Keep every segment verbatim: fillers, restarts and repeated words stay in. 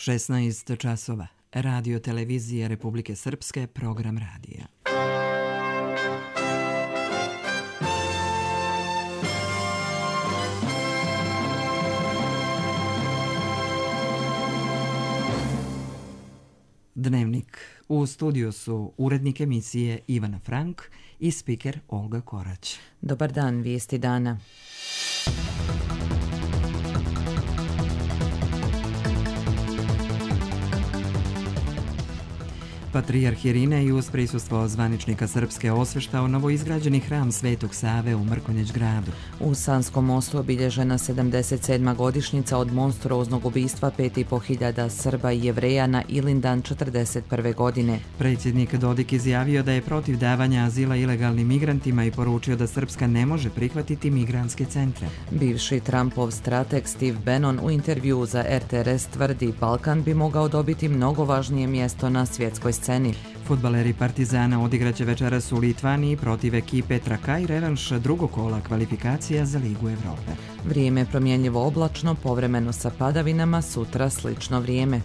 šesnaest časova. Radio televizije Republike Srpske, program radija. Dnevnik. U studiju su urednik emisije Ivana Frank i spiker Olga Korać. Dobar dan, vijesti dana. Patrijarh Irinej uz prisustvo zvaničnika Srpske osveštao novoizgrađeni hram Svetog Save u Mrkonjić gradu. U Sanskom mostu obilježena sedamdeset sedma godišnjica od monstruoznog ubistva pet i po hiljada Srba i Jevreja na Ilindan četrdeset prve godine. Predsjednik Dodik izjavio da je protiv davanja azila ilegalnim migrantima i poručio da Srpska ne može prihvatiti migrantske centre. Bivši Trumpov strateg Steve Bannon u intervjuu za R T R S tvrdi Balkan bi mogao dobiti mnogo važnije mjesto na svjetskoj sceni. Fudbaleri Partizana odigraće večeras u Litvaniji protiv ekipe Trakaj revanš drugog kola kvalifikacija za Ligu Evrope. Vrijeme promjenjivo oblačno, povremeno sa padavinama, sutra slično vrijeme.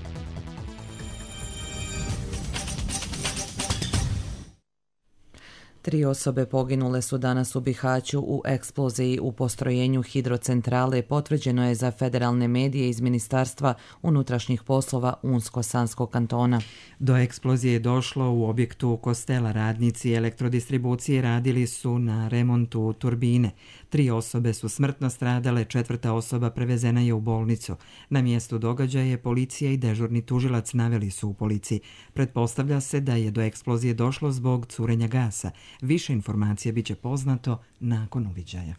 Tri osobe poginule su danas u Bihaću u eksploziji u postrojenju hidrocentrale, potvrđeno je za federalne medije iz Ministarstva unutrašnjih poslova Unsko-Sanskog kantona. Do eksplozije je došlo u objektu Kostela. Radnici elektrodistribucije radili su na remontu turbine. Tri osobe su smrtno stradale, četvrta osoba prevezena je u bolnicu. Na mjestu događaja policija i dežurni tužilac naveli su u policiji. Pretpostavlja se da je do eksplozije došlo zbog curenja gasa. Više informacija biće poznato nakon uviđaja.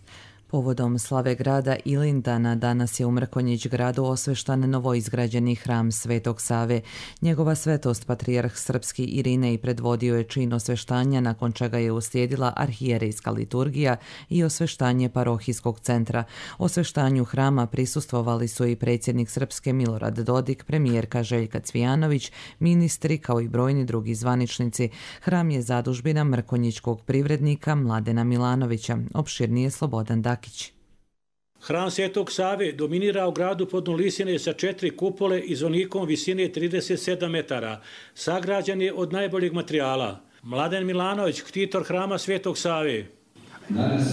Povodom slave grada Ilindana danas je u Mrkonjić gradu osveštan novoizgrađeni hram Svetog Save. Njegova svetost patrijarh srpski Irinej predvodio je čin osveštanja, nakon čega je uslijedila arhijerejska liturgija i osveštanje parohijskog centra. Osveštanju hrama prisustvovali su i predsjednik Srpske Milorad Dodik, premijerka Željka Cvijanović, ministri kao i brojni drugi zvaničnici. Hram je zadužbina mrkonjićkog privrednika Mladena Milanovića. Opširnije Slobodan Dakić. Hram Svetog Save dominira u gradu Podnolisine sa četiri kupole i zvonikom visine trideset sedam metara. Sagrađen je od najboljeg materijala. Mladen Milanović, ktitor hrama Svetog Save. Danas,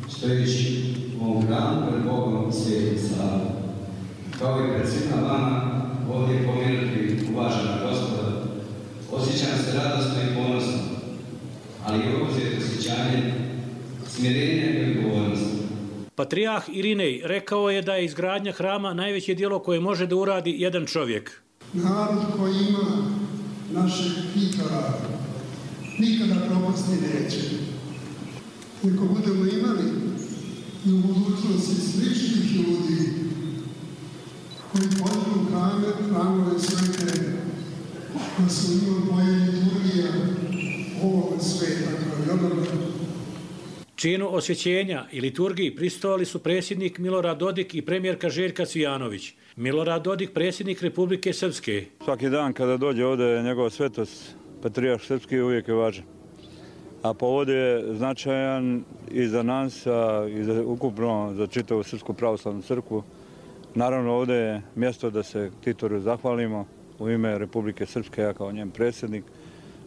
stojeći u ovom hramu pred Bogom Svetog Save, kao i pred svima vama, ovdje pomenuti uvažena gospoda, osjećam se radosno i ponosno, ali i obuzet osjećanje smirenja i odgovornosti. Patrijarh Irinej rekao je da je izgradnja hrama najveće djelo koje može da uradi jedan čovjek. Narod koji ima našeg ktitora nikada propasti neće. Ako budemo imali i u budućnosti sličnih ljudi koji podižu hrame, hramove svete, da su imali moje liturgija ovoga sveta kao i onoga. Činu osvjećenja i liturgiji prisustvovali su predsjednik Milorad Dodik i premijerka Željka Cvijanović. Milorad Dodik, predsjednik Republike Srpske. Svaki dan kada dođe ovdje njegova svetost, patrijarh srpski, uvijek je važan. A povod je značajan i za nas, a i za, ukupno za čitavu Srpsku pravoslavnu crkvu. Naravno, ovdje je mjesto da se ktitoru zahvalimo u ime Republike Srpske, ja kao njen predsjednik.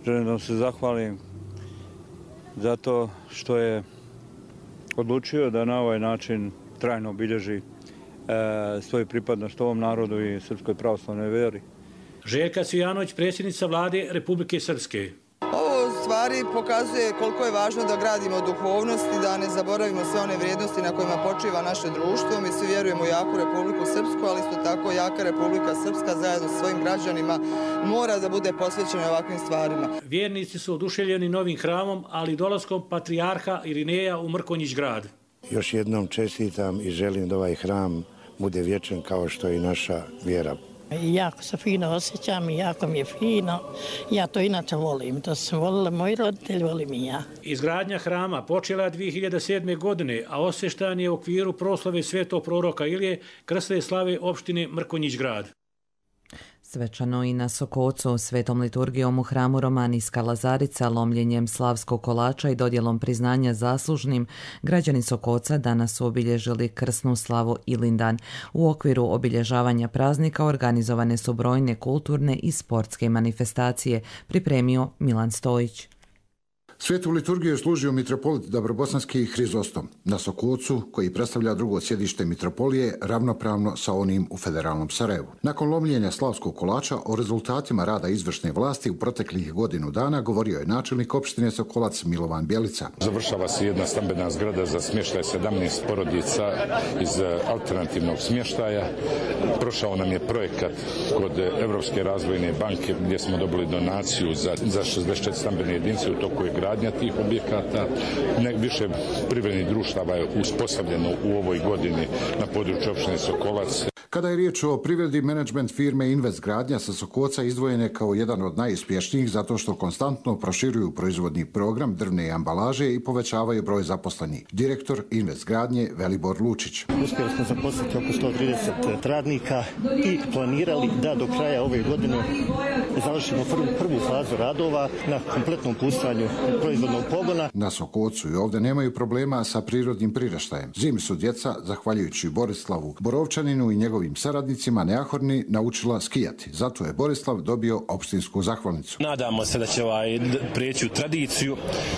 Želim da vam se zahvalim zato što je odlučio da na ovaj način trajno obilježi e, svoju pripadnost ovom narodu i Srpskoj pravoslavnoj vjeri. Željka Cvijanović, predsjednica vlade Republike Srpske. Ovo u stvari pokazuje koliko je važno da gradimo duhovnost i da ne zaboravimo sve one vrijednosti na kojima počiva naše društvo. Mi svi vjerujemo u jaku Republiku Srpsku, ali isto tako jaka Republika Srpska zajedno s svojim građanima mora da bude posvećena ovakvim stvarima. Vjernici su oduševljeni novim hramom, ali dolaskom patrijarha Irineja u Mrkonjić grad. Još jednom čestitam i želim da ovaj hram bude vječan kao što je i naša vjera. Jako se fino osjećam i jako mi je fino. Ja to inače volim. To sam volila moji roditelji, volim i ja. Izgradnja hrama počela je dvije hiljade sedme. godine, a osveštan je u okviru proslave svetog proroka Ilije, krsne slave opštine Mrkonjić grad. Svečano i na Sokocu, svetom liturgijom u hramu Romanijska Lazarica, lomljenjem slavskog kolača i dodjelom priznanja zaslužnim, građani Sokoca danas su obilježili krsnu slavu Ilindan. U okviru obilježavanja praznika organizovane su brojne kulturne i sportske manifestacije, pripremio Milan Stojić. Svetu liturgiju je služio mitropolit Dabrobosanski Hrizostom na Sokocu, koji predstavlja drugo sjedište mitropolije ravnopravno sa onim u federalnom Sarajevu. Nakon lomljenja slavskog kolača o rezultatima rada izvršne vlasti u proteklih godinu dana govorio je načelnik opštine Sokolac Milovan Bjelica. Završava se jedna stambena zgrada za smještaj sedamnaest porodica iz alternativnog smještaja. Prošao nam je projekat kod Evropske razvojne banke gdje smo dobili donaciju za, za šezdeset četiri stambene jedinice, u toku je gradnja tih objekata. Nek više privrednih društava je uspostavljeno u ovoj godini na području opštine Sokolac. Kada je riječ o privredi, menadžment firme Invest Gradnja sa Sokoca izdvojen je kao jedan od najuspješnijih zato što konstantno proširuju proizvodni program drvne ambalaže i povećavaju broj zaposlenih. Direktor Invest Gradnje Velibor Lučić. Uspjeli smo zaposliti oko sto trideset radnika i planirali da do kraja ove godine završimo prvu, prvu fazu radova na kompletnom pustanju proizvodnog pogona. Na Sokocu i ovdje nemaju problema sa prirodnim priraštajem. Zimi su djeca, zahvaljujući Borislavu Borovčaninu i njegovim saradnicima neahorni, naučila skijati. Zato je Borislav dobio opštinsku zahvalnicu. Nadamo se da će ovaj prijeći u tradiciju,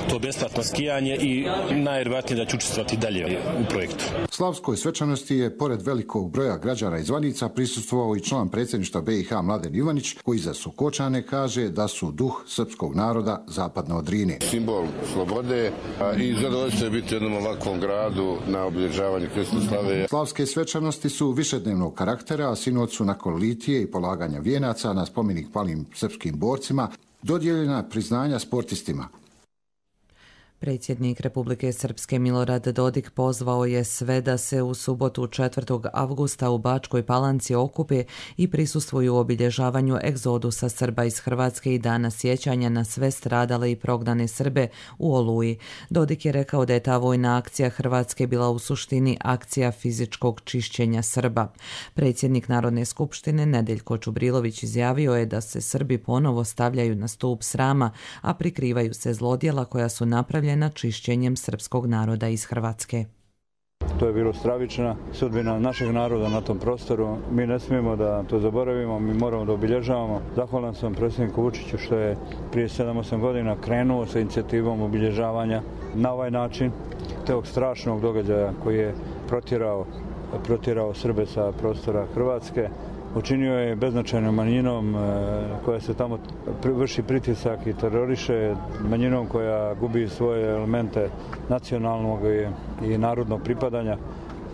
to besplatno skijanje i najvjerojatnije da će učestvovati dalje u projektu. Slavskoj svečanosti je, pored velikog broja građana i zvanica, prisustvovao i član predsjedništva B i H Mladen Ivanić, koji za Sokočane kaže da su duh srpskog naroda zapadno od Drine. Simbol slobode i zadovoljstvo je biti u jednom ovakvom gradu na obilježavanju krsne slave. Slavske svečanosti su višednevnog karaktera, a sinoć su nakon litije i polaganja vijenaca na spomenik palim srpskim borcima dodijeljena priznanja sportistima. Predsjednik Republike Srpske Milorad Dodik pozvao je sve da se u subotu četvrtog avgusta u Bačkoj Palanci okupe i prisustvuju obilježavanju egzodusa Srba iz Hrvatske i dana sjećanja na sve stradale i prognane Srbe u Oluji. Dodik je rekao da je ta vojna akcija Hrvatske bila u suštini akcija fizičkog čišćenja Srba. Predsjednik Narodne skupštine Nedeljko Čubrilović izjavio je da se Srbi ponovo stavljaju na stup srama, a prikrivaju se zlodjela koja su napravljena na čišćenjem srpskog naroda iz Hrvatske. To je bilo stravična sudbina našeg naroda na tom prostoru. Mi ne smijemo da to zaboravimo, mi moramo da obilježavamo. Zahvalan sam predsjedniku Vučiću što je prije sedam osam godina krenuo sa inicijativom obilježavanja na ovaj način tog strašnog događaja koji je protjerao, protjerao Srbe sa prostora Hrvatske. Učinio je beznačajnom manjinom koja se tamo vrši pritisak i teroriše, manjinom koja gubi svoje elemente nacionalnog i narodnog pripadanja.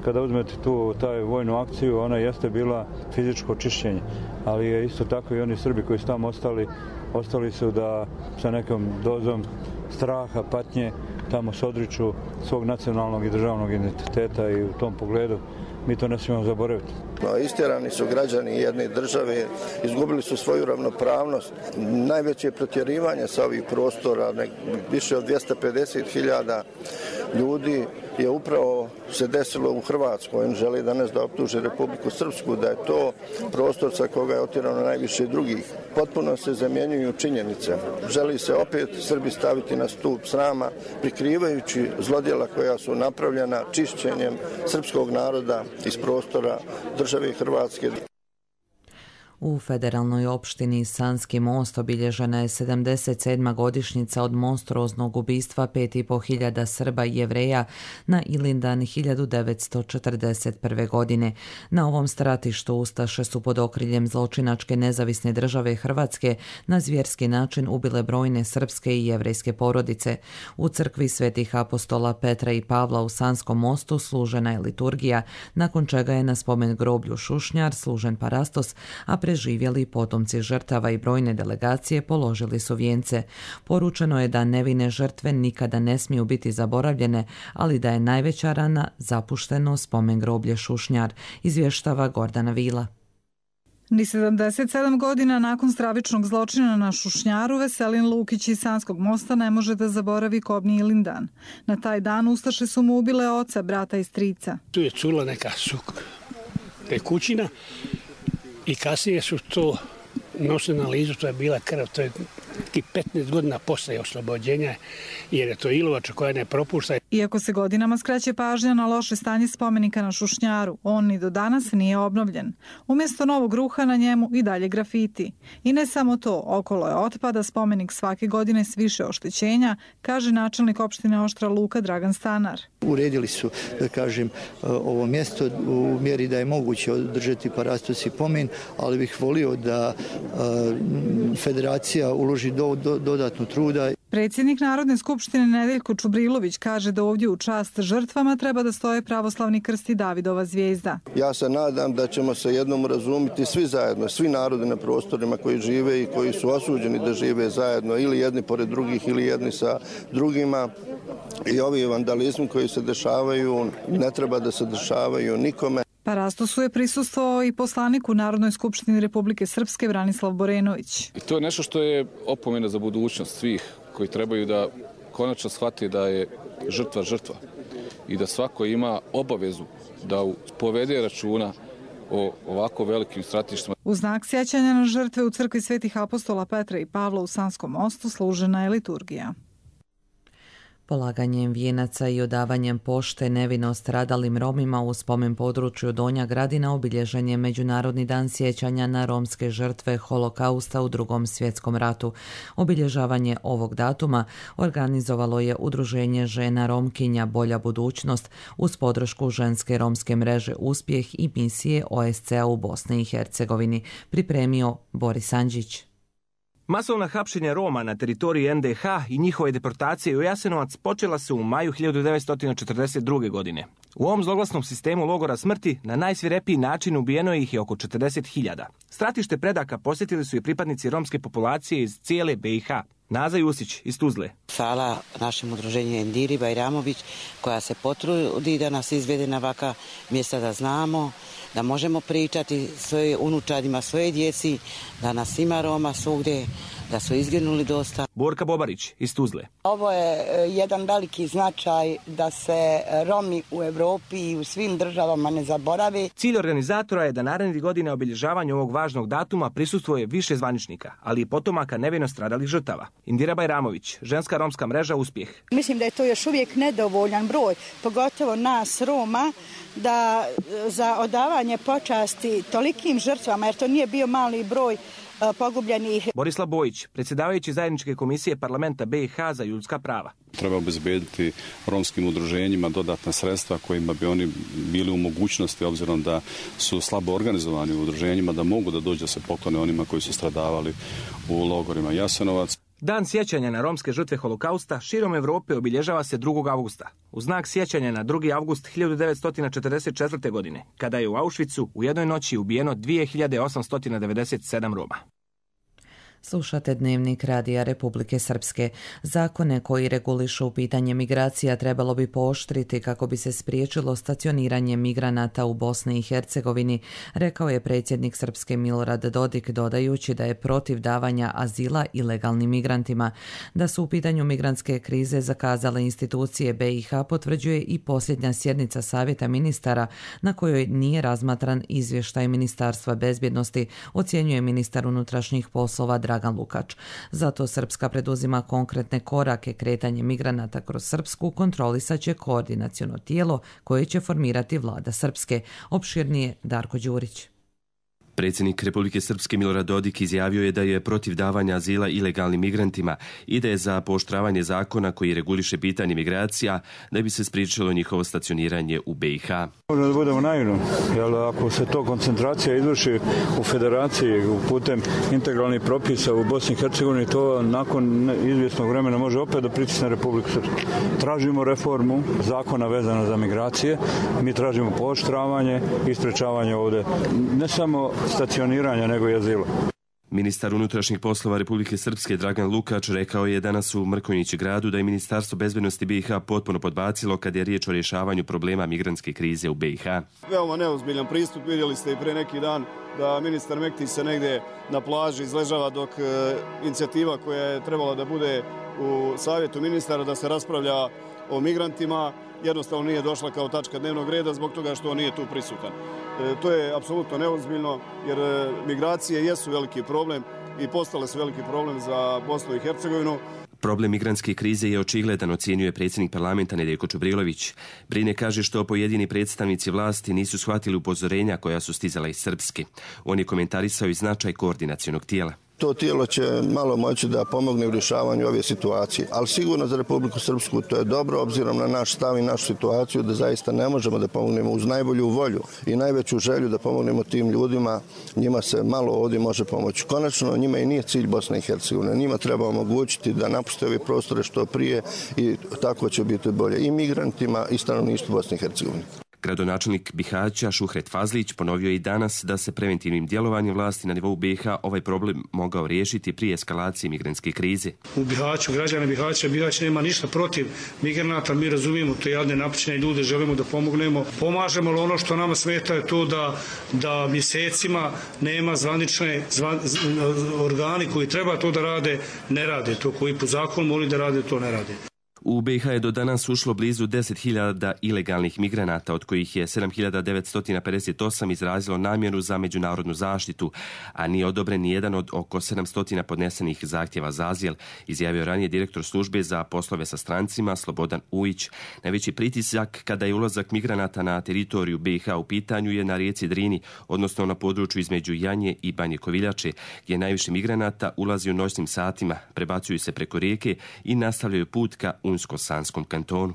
Kada uzmete tu taj vojnu akciju, ona jeste bila fizičko čišćenje, ali je isto tako i oni Srbi koji su tamo ostali, ostali su da sa nekom dozom straha, patnje, tamo se odriču svog nacionalnog i državnog identiteta i u tom pogledu mi to ne smijemo zaboraviti. No, istjerani su građani jedne države, izgubili su svoju ravnopravnost. Najveće protjerivanje sa ovih prostora, više od dvjesto pedeset hiljada ljudi je upravo se desilo u Hrvatskoj. Oni žele danas da optuže Republiku Srpsku, da je to prostor sa koga je otjerano najviše drugih. Potpuno se zamjenjuju činjenice. Želi se opet Srbi staviti na stup srama, prikrivajući zlodjela koja su napravljena čišćenjem srpskog naroda iz prostora države Hrvatske. U federalnoj opštini Sanski Most obilježena je sedamdeset sedma godišnjica od monstruoznog ubistva pet i po hiljada Srba i Jevreja na Ilindan hiljadu devetsto četrdeset prve. godine. Na ovom stratištu ustaše su pod okriljem zločinačke nezavisne države Hrvatske na zvjerski način ubile brojne srpske i jevrejske porodice. U crkvi svetih apostola Petra i Pavla u Sanskom Mostu služena je liturgija, nakon čega je na spomen groblju Šušnjar služen parastos, a preživjeli potomci žrtava i brojne delegacije položili su vijence. Poručeno je da nevine žrtve nikada ne smiju biti zaboravljene, ali da je najveća rana zapušteno spomen groblje Šušnjar, izvještava Gordana Vila. Ni sedamdeset sedam godina nakon stravičnog zločina na Šušnjaru, Veselin Lukić iz Sanskog Mosta ne može da zaboravi kobni Ilindan. Na taj dan ustaše su mu ubile oca, brata i strica. Tu je čula neka suk, kućina I kasnije su to nosili analizu, to je bila krv, to je ti petnaest godina posle oslobođenja, jer je to ilovača koja ne propušta. Iako se godinama skreće pažnja na loše stanje spomenika na Šušnjaru, on ni do danas nije obnovljen. Umjesto novog ruha na njemu i dalje grafiti. I ne samo to, okolo je otpada spomenik svake godine s više oštećenja, kaže načelnik opštine Oštra Luka Dragan Stanar. Uredili su, da kažem, ovo mjesto u mjeri da je moguće održati parastos i pomen, ali bih volio da federacija uloži do, do, dodatno truda. Predsjednik Narodne skupštine Nedeljko Čubrilović kaže da ovdje u čast žrtvama treba da stoje pravoslavni krst i Davidova zvijezda. Ja se nadam da ćemo se jednom razumiti svi zajedno, svi narodi na prostorima koji žive i koji su osuđeni da žive zajedno, ili jedni pored drugih ili jedni sa drugima. I ovi vandalizmi koji se dešavaju ne treba da se dešavaju nikome. Parastosu je prisustvovao i poslanik u Narodnoj skupštini Republike Srpske Branislav Borenović. I to je nešto što je opomena za budućnost svih koji trebaju da konačno shvati da je žrtva žrtva i da svako ima obavezu da povede računa o ovako velikim stratištima. U znak sjećanja na žrtve u crkvi Svetih apostola Petra i Pavla u Sanskom mostu služena je liturgija. Polaganjem vijenaca i odavanjem pošte nevino stradalim Romima u spomen području Donja Gradina obilježen je Međunarodni dan sjećanja na romske žrtve holokausta u Drugom svjetskom ratu. Obilježavanje ovog datuma organizovalo je Udruženje žena Romkinja Bolja budućnost uz podršku ženske romske mreže Uspjeh i misije O S C-a u Bosni i Hercegovini, pripremio Boris Andžić. Masovna hapšenja Roma na teritoriji N D H i njihove deportacije u Jasenovac počela se u maju hiljadu devetsto četrdeset druge. godine. U ovom zloglasnom sistemu logora smrti na najsvirepiji način ubijeno ih je oko četrdeset hiljada. Stratište predaka posjetili su i pripadnici romske populacije iz cijele B i H. Naza Jusić iz Tuzle. Hvala našem udruženju Endiri Bajramović koja se potrudi da nas izvede na ovaka mjesta da znamo, da možemo pričati svoje unučadima, svoje djeci, da nas ima Roma svugdje, da su izginuli dosta. Borka Bobarić iz Tuzle. Ovo je jedan veliki značaj da se Romi u Evropi i u svim državama ne zaborave. Cilj organizatora je da narednih godine obilježavanju ovog važnog datuma prisustvuje više zvaničnika, ali i potomaka nevino stradalih žrtava. Indira Bajramović, ženska romska mreža Uspjeh. Mislim da je to još uvijek nedovoljan broj, pogotovo nas Roma, da za odavanje počasti tolikim žrtvama, jer to nije bio mali broj pogubljenih. Borislav Bojić, predsjedavajući zajedničke komisije parlamenta B i H za ljudska prava. Treba obezbediti romskim udruženjima dodatna sredstva kojima bi oni bili u mogućnosti, obzirom da su slabo organizovani u udruženjima, da mogu da dođu da se poklone onima koji su stradavali u logorima Jasenovac. Dan sjećanja na romske žrtve holokausta širom Evrope obilježava se drugog avgusta. U znak sjećanja na drugi avgust hiljadu devetsto četrdeset četvrte. godine, kada je u Auschwitzu u jednoj noći ubijeno dvije hiljade osamsto devedeset sedam Roma. Slušate Dnevnik Radija Republike Srpske. Zakone koji regulišu pitanje migracija trebalo bi pooštriti kako bi se spriječilo stacioniranje migranata u Bosni i Hercegovini, rekao je predsjednik Srpske Milorad Dodik, dodajući da je protiv davanja azila ilegalnim migrantima. Da su u pitanju migrantske krize zakazale institucije B i H potvrđuje i posljednja sjednica Savjeta ministara na kojoj nije razmatran izvještaj Ministarstva bezbjednosti, ocjenjuje ministar unutrašnjih poslova Dragan Lukač. Zato Srpska preduzima konkretne korake. Kretanje migranata kroz Srpsku kontrolisaće koordinaciono tijelo koje će formirati vlada Srpske. Opširnije Darko Đurić. Predsjednik Republike Srpske Milorad Dodik izjavio je da je protiv davanja azila ilegalnim migrantima i da je za pooštravanje zakona koji reguliše pitanje migracija da bi se spriječilo njihovo stacioniranje u B i H. Možemo da budemo naivni, jer ako se to koncentracija izvrši u federaciji putem integralnih propisa u Bosni i Hercegovini, to nakon izvjesnog vremena može opet da pritisne Republiku Srpsku. Tražimo reformu zakona vezana za migracije, mi tražimo pooštravanje i sprečavanje ovdje ne samo stacioniranja nego i azila. Ministar unutrašnjih poslova Republike Srpske Dragan Lukač rekao je danas u Mrkonjić gradu da je Ministarstvo bezbednosti B i H potpuno podbacilo kad je riječ o rješavanju problema migrantske krize u B i H. Veoma neozbiljan pristup, vidjeli ste i pre neki dan da ministar Mektić se negdje na plaži izležava dok e, inicijativa koja je trebala da bude u savjetu ministara da se raspravlja o migrantima jednostavno nije došla kao tačka dnevnog reda zbog toga što on nije tu prisutan. To je apsolutno neozbiljno jer migracije jesu veliki problem i postale su veliki problem za Bosnu i Hercegovinu. Problem migrantske krize je očigledan, ocjenjuje predsjednik parlamenta Nedjeljko Čubrilović. Brine kaže što pojedini predstavnici vlasti nisu shvatili upozorenja koja su stizala iz Srpske. On je komentarisao i značaj koordinacionog tijela. To tijelo će malo moći da pomogne u rješavanju ove situacije, ali sigurno za Republiku Srpsku to je dobro obzirom na naš stav i našu situaciju da zaista ne možemo da pomognemo uz najbolju volju i najveću želju da pomognemo tim ljudima. Njima se malo ovdje može pomoći. Konačno njima i nije cilj Bosne i Hercegovine. Njima treba omogućiti da napuste ove prostore što prije i tako će biti bolje i migrantima i stanovništvu Bosne i Hercegovine. Gradonačelnik Bihaća Šuhret Fazlić ponovio je i danas da se preventivnim djelovanjem vlasti na nivou B i H ovaj problem mogao riješiti prije eskalacije migrantske krize. U Bihaću, građane Bihaća, Bihać nema ništa protiv migranata, mi razumijemo te jadne napućene ljude, želimo da pomognemo. Pomažemo, ali ono što nama smeta je to da, da mjesecima nema zvanične zvan, organi koji treba to da rade, ne rade to, koji po zakonu moraju da rade, to ne rade. U B i H je do danas ušlo blizu deset hiljada ilegalnih migranata, od kojih je sedam hiljada devetsto pedeset osam izrazilo namjeru za međunarodnu zaštitu, a nije odobren ni jedan od oko sedamsto podnesenih zahtjeva za azil, izjavio ranije direktor službe za poslove sa strancima Slobodan Ujić. Najveći pritisak kada je ulazak migranata na teritoriju B i H u pitanju je na rijeci Drini, odnosno na području između Janje i Banje Koviljače, gdje najviše migranata ulazi u noćnim satima, prebacuju se preko rijeke i nastavljaju put ka Unsko-Sanskom kantonu.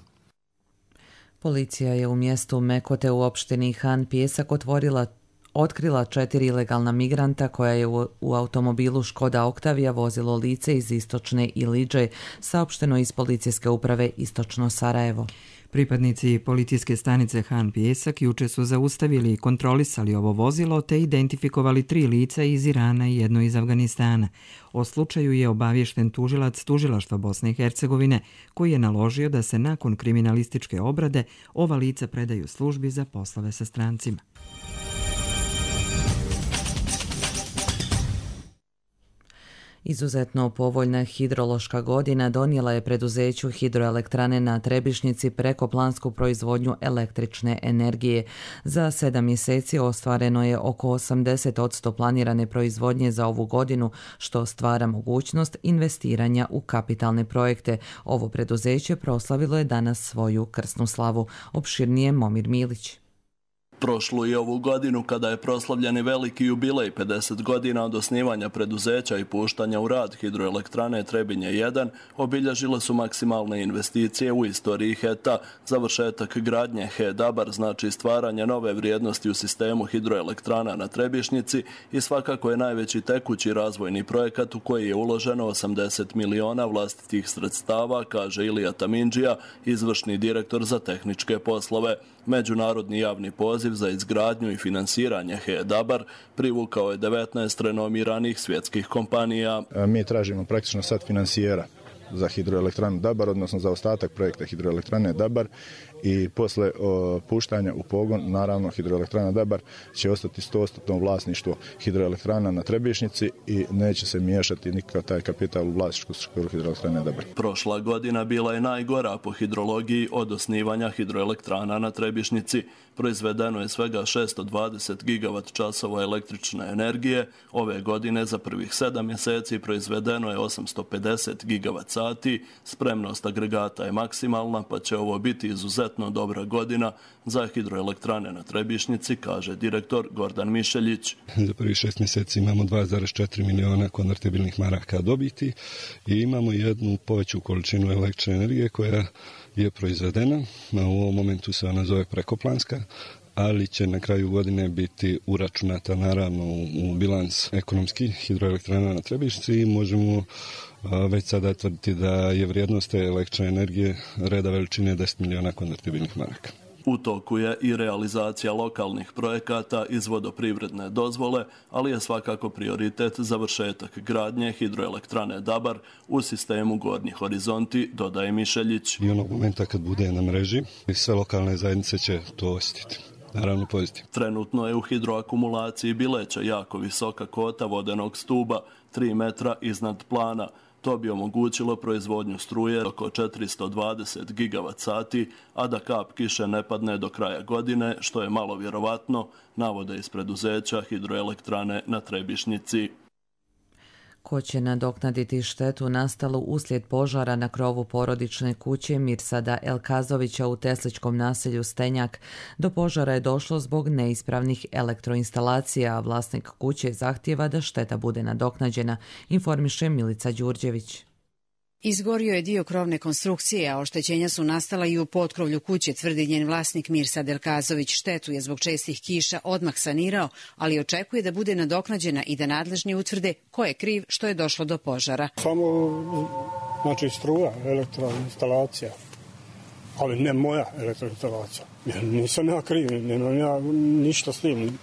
Policija je u mjestu Mekote u opštini Han Pijesak otvorila otkrila četiri ilegalna migranta koja je u, u automobilu Škoda Oktavija vozilo lice iz istočne Ilidže, saopšteno iz policijske uprave Istočno Sarajevo. Pripadnici policijske stanice Han Pijesak juče su zaustavili i kontrolisali ovo vozilo te identifikovali tri lica iz Irana i jedno iz Afganistana. O slučaju je obaviješten tužilac Tužilaštva Bosne i Hercegovine, koji je naložio da se nakon kriminalističke obrade ova lica predaju službi za poslove sa strancima. Izuzetno povoljna hidrološka godina donijela je preduzeću hidroelektrane na Trebišnjici prekoplansku proizvodnju električne energije. Za sedam mjeseci ostvareno je oko osamdeset posto planirane proizvodnje za ovu godinu, što stvara mogućnost investiranja u kapitalne projekte. Ovo preduzeće proslavilo je danas svoju krsnu slavu. Opširnije Momir Milić. Prošlu i ovu godinu, kada je proslavljeni veliki jubilej pedeset godina od osnivanja preduzeća i puštanja u rad hidroelektrane Trebinje jedan, obilježile su maksimalne investicije u istoriji H E T-a. Završetak gradnje H E Dabar znači stvaranje nove vrijednosti u sistemu hidroelektrana na Trebišnjici i svakako je najveći tekući razvojni projekat u koji je uloženo osamdeset miliona vlastitih sredstava, kaže Ilija Tamindžija, izvršni direktor za tehničke poslove. Međunarodni javni poziv za izgradnju i finansiranje H E Dabar privukao je devetnaest renomiranih svjetskih kompanija. Mi tražimo praktično sad finansijera za hidroelektranu Dabar, odnosno za ostatak projekta hidroelektrane Dabar, i posle o, puštanja u pogon, naravno hidroelektrana Dabar će ostati sto posto vlasništvo hidroelektrana na Trebišnjici i neće se miješati nikakav taj kapital u vlasničku strukturu hidroelektrane Dabar. Prošla godina bila je najgora po hidrologiji od osnivanja hidroelektrana na Trebišnjici. Proizvedeno je svega šesto dvadeset gigavat časova električne energije. Ove godine za prvih sedam mjeseci proizvedeno je osamsto pedeset gigavat sati. Spremnost agregata je maksimalna, pa će ovo biti izuzetno dobra godina za hidroelektrane na Trebišnjici, kaže direktor Gordan Mišeljić. Za prvih šest mjeseci imamo dva zarez četiri miliona konvertibilnih maraka dobiti i imamo jednu poveću količinu električne energije koja je proizvedena. U ovom momentu se ona zove prekoplanska, ali će na kraju godine biti uračunata naravno u bilans ekonomski hidroelektrana na Trebišnjici i možemo već sada tvrditi da je vrijednost te električne energije reda veličine deset miliona konvertibilnih maraka. U toku je i realizacija lokalnih projekata iz vodoprivredne dozvole, ali je svakako prioritet završetak gradnje hidroelektrane Dabar u sistemu Gornji horizonti, dodaje Mišeljić. I onog momenta kad bude na mreži, sve lokalne zajednice će to osjetiti. Naravno pozitivno. Trenutno je u hidroakumulaciji Bileća jako visoka kota vodenog stuba, tri metra iznad plana. To bi omogućilo proizvodnju struje oko četiristo dvadeset gigavat sati, a da kap kiše ne padne do kraja godine, što je malo vjerovatno, navode iz preduzeća hidroelektrane na Trebišnjici. Ko će nadoknaditi štetu nastalu uslijed požara na krovu porodične kuće Mirsada Elkazovića u tesličkom naselju Stenjak? Do požara je došlo zbog neispravnih elektroinstalacija, a vlasnik kuće zahtijeva da šteta bude nadoknađena, informiše Milica Đurđević. Izgorio je dio krovne konstrukcije, a oštećenja su nastala i u potkrovlju kuće, tvrdi njen vlasnik Mirsad Elkazović. Štetu je zbog čestih kiša odmah sanirao, ali očekuje da bude nadoknađena i da nadležni utvrde ko je kriv što je došlo do požara. Samo, znači, struja, elektroinstalacija, ali ne moja elektroinstalacija. Nisam ja kriv, nemam ja ništa s tim.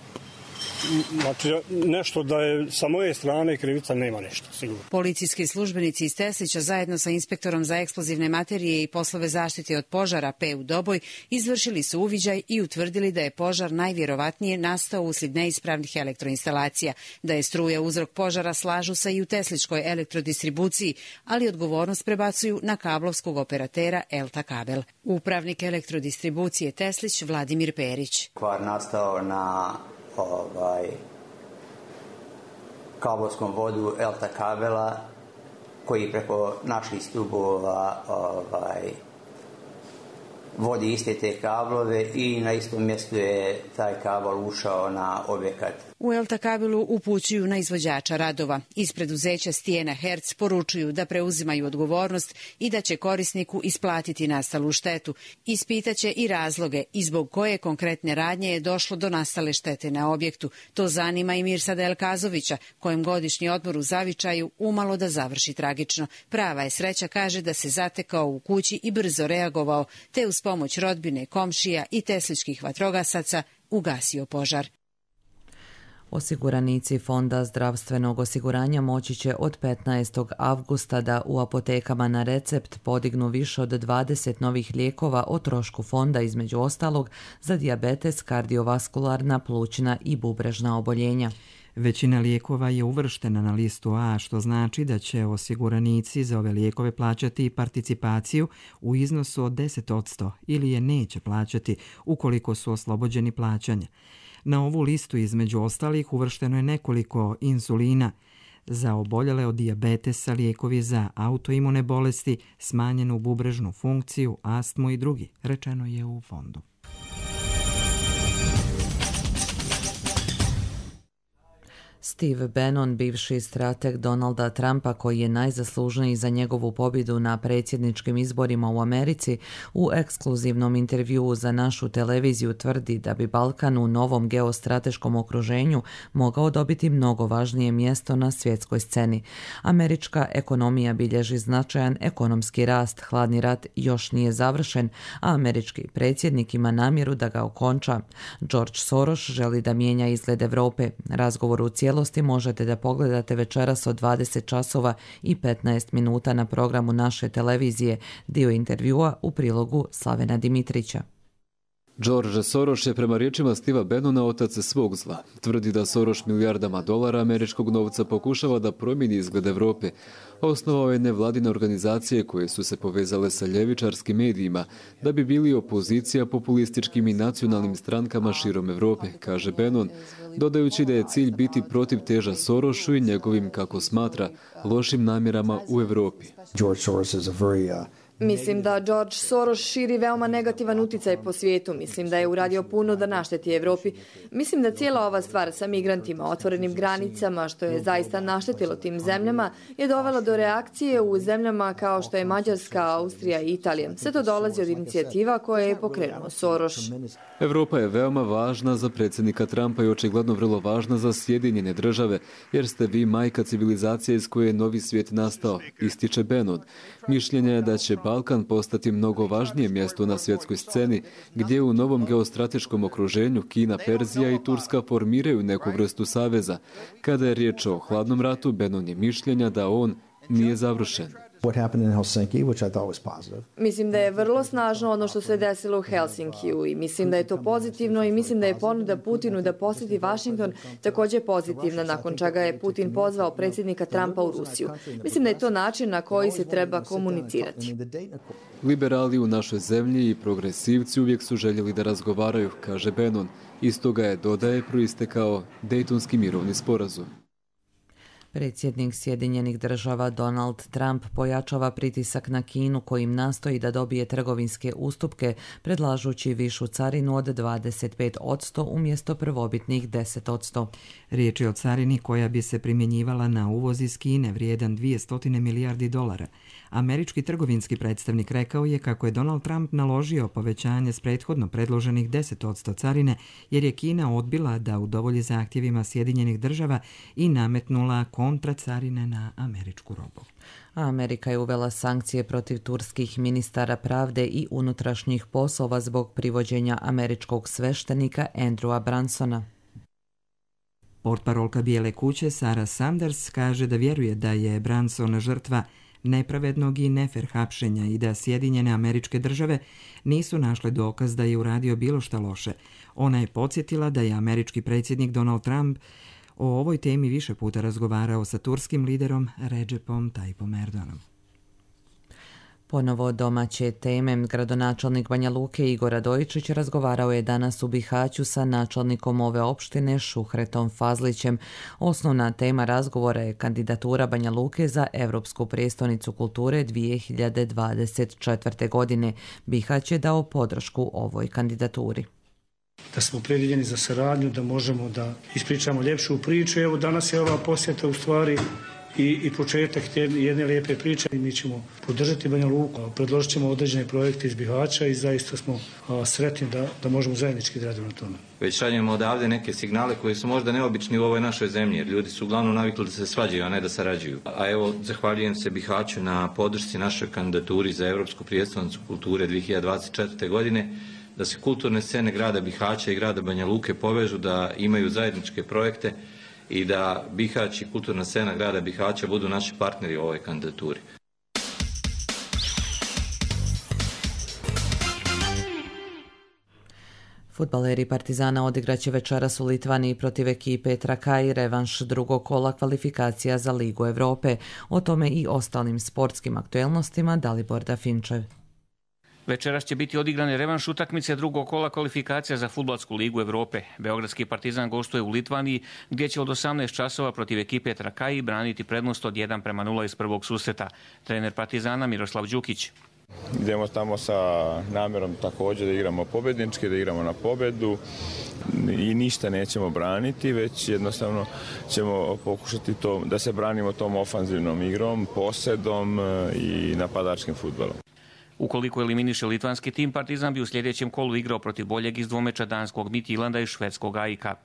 Znači, nešto da je sa moje strane krivica, nema ništa, sigurno. Policijski službenici iz Teslića zajedno sa inspektorom za eksplozivne materije i poslove zaštite od požara P U Doboj izvršili su uviđaj i utvrdili da je požar najvjerovatnije nastao uslijed neispravnih elektroinstalacija. Da je struja uzrok požara slažu se i u tesličkoj elektrodistribuciji, ali odgovornost prebacuju na kablovskog operatera Elta Kabel. Upravnik elektrodistribucije Teslić Vladimir Perić. Kvar nastao na ovaj, kablovskom vodu Elta Kabela koji preko naših stubova ovaj, vodi iste te kablove i na istom mjestu je taj kabel ušao na objekat. U Elta Kabelu upućuju na izvođača radova. Iz preduzeća Stijena Herc poručuju da preuzimaju odgovornost i da će korisniku isplatiti nastalu štetu. Ispitaće i razloge i zbog koje konkretne radnje je došlo do nastale štete na objektu. To zanima i Mirsada Elkazovića, kojem godišnji odmor u zavičaju umalo da završi tragično. Prava je sreća, kaže, da se zatekao u kući i brzo reagovao, te uz pomoć rodbine, komšija i tesličkih vatrogasaca ugasio požar. Osiguranici Fonda zdravstvenog osiguranja moći će od petnaestog avgusta da u apotekama na recept podignu više od dvadeset novih lijekova o trošku fonda, između ostalog za dijabetes, kardiovaskularna, plućna i bubrežna oboljenja. Većina lijekova je uvrštena na listu A, što znači da će osiguranici za ove lijekove plaćati participaciju u iznosu od deset posto ili je neće plaćati ukoliko su oslobođeni plaćanja. Na ovu listu između ostalih uvršteno je nekoliko insulina za oboljele od dijabetesa, lijekovi za autoimune bolesti, smanjenu bubrežnu funkciju, astmu i drugi, rečeno je u fondu. Steve Bannon, bivši strateg Donalda Trumpa, koji je najzaslužniji za njegovu pobjedu na predsjedničkim izborima u Americi, u ekskluzivnom intervjuu za našu televiziju tvrdi da bi Balkan u novom geostrateškom okruženju mogao dobiti mnogo važnije mjesto na svjetskoj sceni. Američka ekonomija bilježi značajan ekonomski rast, hladni rat još nije završen, a američki predsjednik ima namjeru da ga okonča. George Soros želi da mijenja izgled Europe. Razgovor u cijelosti možete da pogledate večeras od dvadeset časova i petnaest minuta na programu naše televizije, dio intervjua u prilogu Slavena Dimitrića. George Soros je prema riječima Steva Bannona otac svog zla. Tvrdi da Soros milijardama dolara američkog novca pokušava da promijeni izgled Europe. Osnovao je nevladine organizacije koje su se povezale sa ljevičarskim medijima da bi bili opozicija populističkim i nacionalnim strankama širom Europe, kaže Bannon, dodajući da je cilj biti protiv teža Sorosu i njegovim, kako smatra, lošim namjerama u Europi. George Soros is a very uh... Mislim da George Soros širi veoma negativan uticaj po svijetu. Mislim da je uradio puno da našteti Evropi. Mislim da cijela ova stvar sa migrantima, otvorenim granicama, što je zaista naštetilo tim zemljama, je dovela do reakcije u zemljama kao što je Mađarska, Austrija i Italija. Sve to dolazi od inicijativa koje je pokrenuo Soros. Evropa je veoma važna za predsjednika Trumpa i očigledno vrlo važna za Sjedinjene države, jer ste vi majka civilizacije iz koje je novi svijet nastao, ističe Bannon. Mišljenje je da će Balkan postati mnogo važnije mjesto na svjetskoj sceni, gdje u novom geostrateškom okruženju Kina, Perzija i Turska formiraju neku vrstu saveza. Kada je riječ o hladnom ratu, Bannon je mišljenja da on nije završen. Mislim da je vrlo snažno ono što se desilo u Helsinkiju i mislim da je to pozitivno i mislim da je ponuda Putinu da posjeti Washington također pozitivna, nakon čega je Putin pozvao predsjednika Trumpa u Rusiju. Mislim da je to način na koji se treba komunicirati. Liberali u našoj zemlji i progresivci uvijek su željeli da razgovaraju, kaže Bannon. Iz toga je, dodaje, proistekao Dejtonski mirovni sporazum. Predsjednik Sjedinjenih država Donald Trump pojačava pritisak na Kinu kojim nastoji da dobije trgovinske ustupke, predlažući višu carinu od dvadeset pet posto umjesto prvobitnih deset posto. Riječ je o carini koja bi se primjenjivala na uvoz iz Kine vrijedan dvjesto milijardi dolara. Američki trgovinski predstavnik rekao je kako je Donald Trump naložio povećanje s prethodno predloženih deset posto carine jer je Kina odbila da udovolji zahtjevima Sjedinjenih država i nametnula kontracarine na američku robu. Amerika je uvela sankcije protiv turskih ministara pravde i unutrašnjih poslova zbog privođenja američkog sveštenika Andrewa Bransona. Portparolka Bijele kuće Sarah Sanders kaže da vjeruje da je Branson žrtva nepravednog i nefer hapšenja i da Sjedinjene Američke Države nisu našle dokaz da je uradio bilo šta loše. Ona je podsjetila da je američki predsjednik Donald Trump o ovoj temi više puta razgovarao sa turskim liderom Recepom Tayyipom Erdoganom. Ponovo domaće teme. Gradonačelnik Banja Luke Igor Radojičić razgovarao je danas u Bihaću sa načelnikom ove opštine Šuhretom Fazlićem. Osnovna tema razgovora je kandidatura Banja Luke za Evropsku prijestolnicu kulture dvije hiljade dvadeset četvrte. godine. Bihać je dao podršku ovoj kandidaturi. Da smo opredjeljeni za saradnju, da možemo da ispričamo ljepšu priču. Evo danas je ova posjeta u stvari i, i početak jedne lijepe priče i mi ćemo podržati Banja Luku, predložit ćemo određene projekte iz Bihaća i zaista smo a, sretni da, da možemo zajednički da radimo na tome. Već šaljemo odavde neke signale koji su možda neobični u ovoj našoj zemlji, jer ljudi su uglavnom navikli da se svađaju, a ne da sarađuju. A evo, zahvaljujem se Bihaću na podršci našoj kandidaturi za Evropsku prijestolnicu kulture dvije hiljade dvadeset četvrte. godine, da se kulturne scene grada Bihaća i grada Banja Luke povežu, da imaju zajedničke projekte i da Bihać i kulturna scena grada Bihaća budu naši partneri u ovoj kandidaturi. Fudbaleri Partizana odigraće večeras u Litvaniji protiv ekipe Trakaj revanš drugog kola kvalifikacija za Ligu Europe. O tome i ostalim sportskim aktuelnostima Dalibor Dafinčev. Večeras će biti odigrane revanš utakmice drugog kola kvalifikacija za Fudbalsku ligu Europe. Beogradski Partizan gostuje u Litvaniji, gdje će od osamnaest časova protiv ekipe Trakaji braniti prednost od jedan prema nula iz prvog susreta. Trener Partizana Miroslav Đukić. Idemo tamo sa namjerom također da igramo pobjednički, da igramo na pobjedu i ništa nećemo braniti, već jednostavno ćemo pokušati to, da se branimo tom ofanzivnom igrom, posedom i napadačkim fudbalom. Ukoliko eliminiše litvanski tim, Partizan bi u sljedećem kolu igrao protiv boljeg iz dvomeča danskog Midtjylanda i švedskog A I K-a.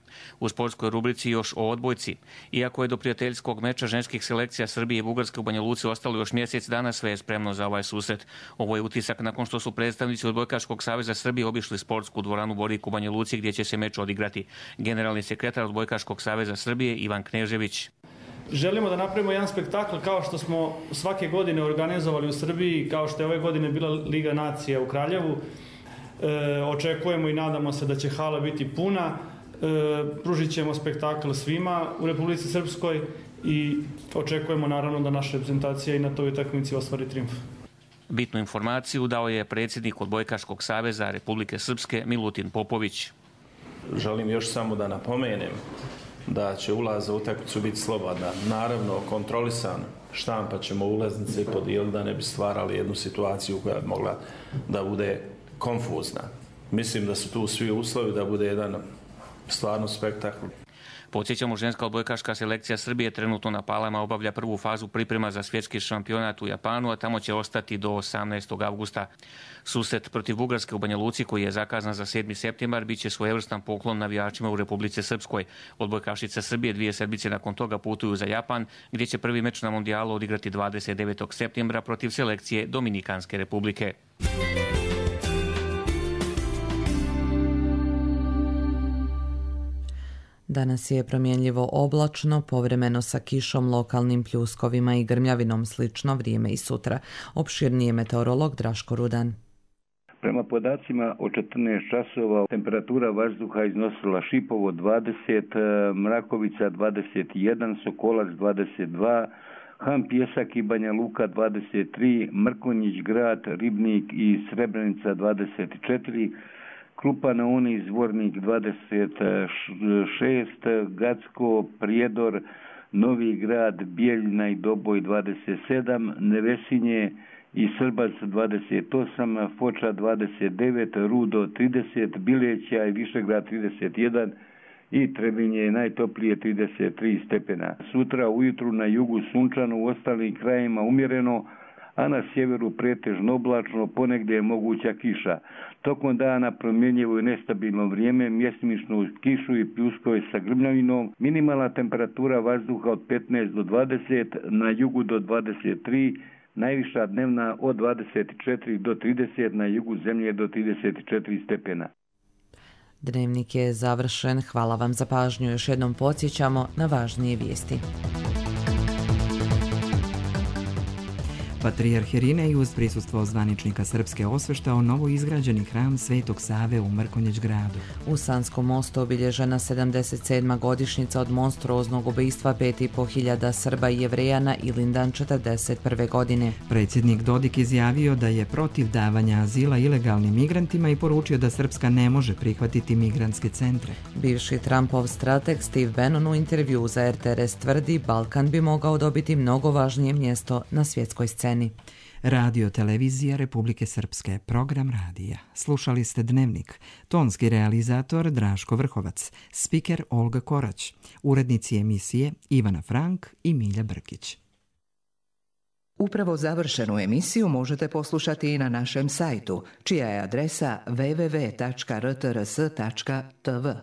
U sportskoj rubrici još o odbojci. Iako je do prijateljskog meča ženskih selekcija Srbije i Bugarske u Banja Luci ostalo još mjesec dana, sve je spremno za ovaj susret. Ovo je utisak nakon što su predstavnici Odbojkaškog saveza Srbije obišli sportsku dvoranu Borik u Banja Luci, gdje će se meč odigrati. Generalni sekretar Odbojkaškog saveza Srbije Ivan Knežević. Želimo da napravimo jedan spektakl kao što smo svake godine organizovali u Srbiji, kao što je ove godine bila Liga nacija u Kraljevu. E, očekujemo i nadamo se da će hala biti puna. E, pružit ćemo spektakl svima u Republici Srpskoj i očekujemo naravno da naša reprezentacija i na toj utakmici ostvari trijumf. Bitnu informaciju dao je predsjednik Odbojkaškog saveza Republike Srpske Milutin Popović. Želim još samo da napomenem da će ulaz za utakmicu biti slobodan, naravno kontrolisan, štampat ćemo ulaznice i podijeliti da ne bi stvarali jednu situaciju koja bi mogla da bude konfuzna. Mislim da su tu svi uslovi da bude jedan stvarno spektakl. Podsjećamo, ženska odbojkaška selekcija Srbije trenutno na Palama obavlja prvu fazu priprema za svjetski šampionat u Japanu, a tamo će ostati do osamnaestog avgusta. Susret protiv Bugarske u Banja Luci, koji je zakazan za sedmi septembar, bit će svojevrstan poklon navijačima u Republici Srpskoj. Odbojkašice Srbije dvije sedmice nakon toga putuju za Japan, gdje će prvi meč na mondijalu odigrati dvadeset devetog septembra protiv selekcije Dominikanske Republike. Danas je promjenljivo oblačno, povremeno sa kišom, lokalnim pljuskovima i grmljavinom, slično vrijeme i sutra. Opširnije meteorolog Draško Rudan. Prema podacima od četrnaest časova temperatura vazduha iznosila Šipovo dvadeset, Mrakovica dvadeset jedan, Sokolac dvadeset dva, Han Pjesak i Banja Luka dvadeset tri, Mrkonjić Grad, Ribnik i Srebrenica dvadeset četiri, Krupa na Uni, Zvornik dvadeset šest, Gacko, Prijedor, Novi Grad, Bijeljina i Doboj dvadeset sedam, Nevesinje i Srbac dvadeset osam, Foča dvadeset devet, Rudo trideset, Bileća i Višegrad trideset jedan i Trebinje je najtoplije trideset tri stepena. Sutra ujutru na jugu sunčano, u ostalim krajima umjereno, a na sjeveru pretežno oblačno, ponegdje je moguća kiša. Tokom dana promjenjivo i nestabilno vrijeme, mjestimično uz kišu i pljuskove sa grmljavinom, minimalna temperatura vazduha od petnaest do dvadeset, na jugu do dvadeset tri, najviša dnevna od dvadeset četiri do trideset, na jugu zemlje do trideset četiri stepena. Dnevnik je završen. Hvala vam za pažnju. Još jednom podsjećamo na važnije vijesti. Patrijarh Irinej uz prisustvo zvaničnika Srpske osveštao novo izgrađeni hram Svetog Save u Mrkonjić Gradu. U Sanskom mostu obilježena sedamdeset sedma godišnjica od monstruoznog ubojstva pet i po hiljada Srba i Jevreja na Ilindan četrdeset prve godine. Predsjednik Dodik izjavio da je protiv davanja azila ilegalnim migrantima i poručio da Srpska ne može prihvatiti migrantske centre. Bivši Trumpov strateg Steve Bannon u intervju za R T R S tvrdi Balkan bi mogao dobiti mnogo važnije mjesto na svjetskoj sceni. Radio Televizija Republike Srpske, program radija. Slušali ste Dnevnik. Tonski realizator Draško Vrhovac, spiker Olga Korać, urednici emisije Ivana Frank i Milja Brkić. Upravo završenu emisiju možete poslušati i na našem sajtu, čija je adresa w w w tačka r t r s tačka t v.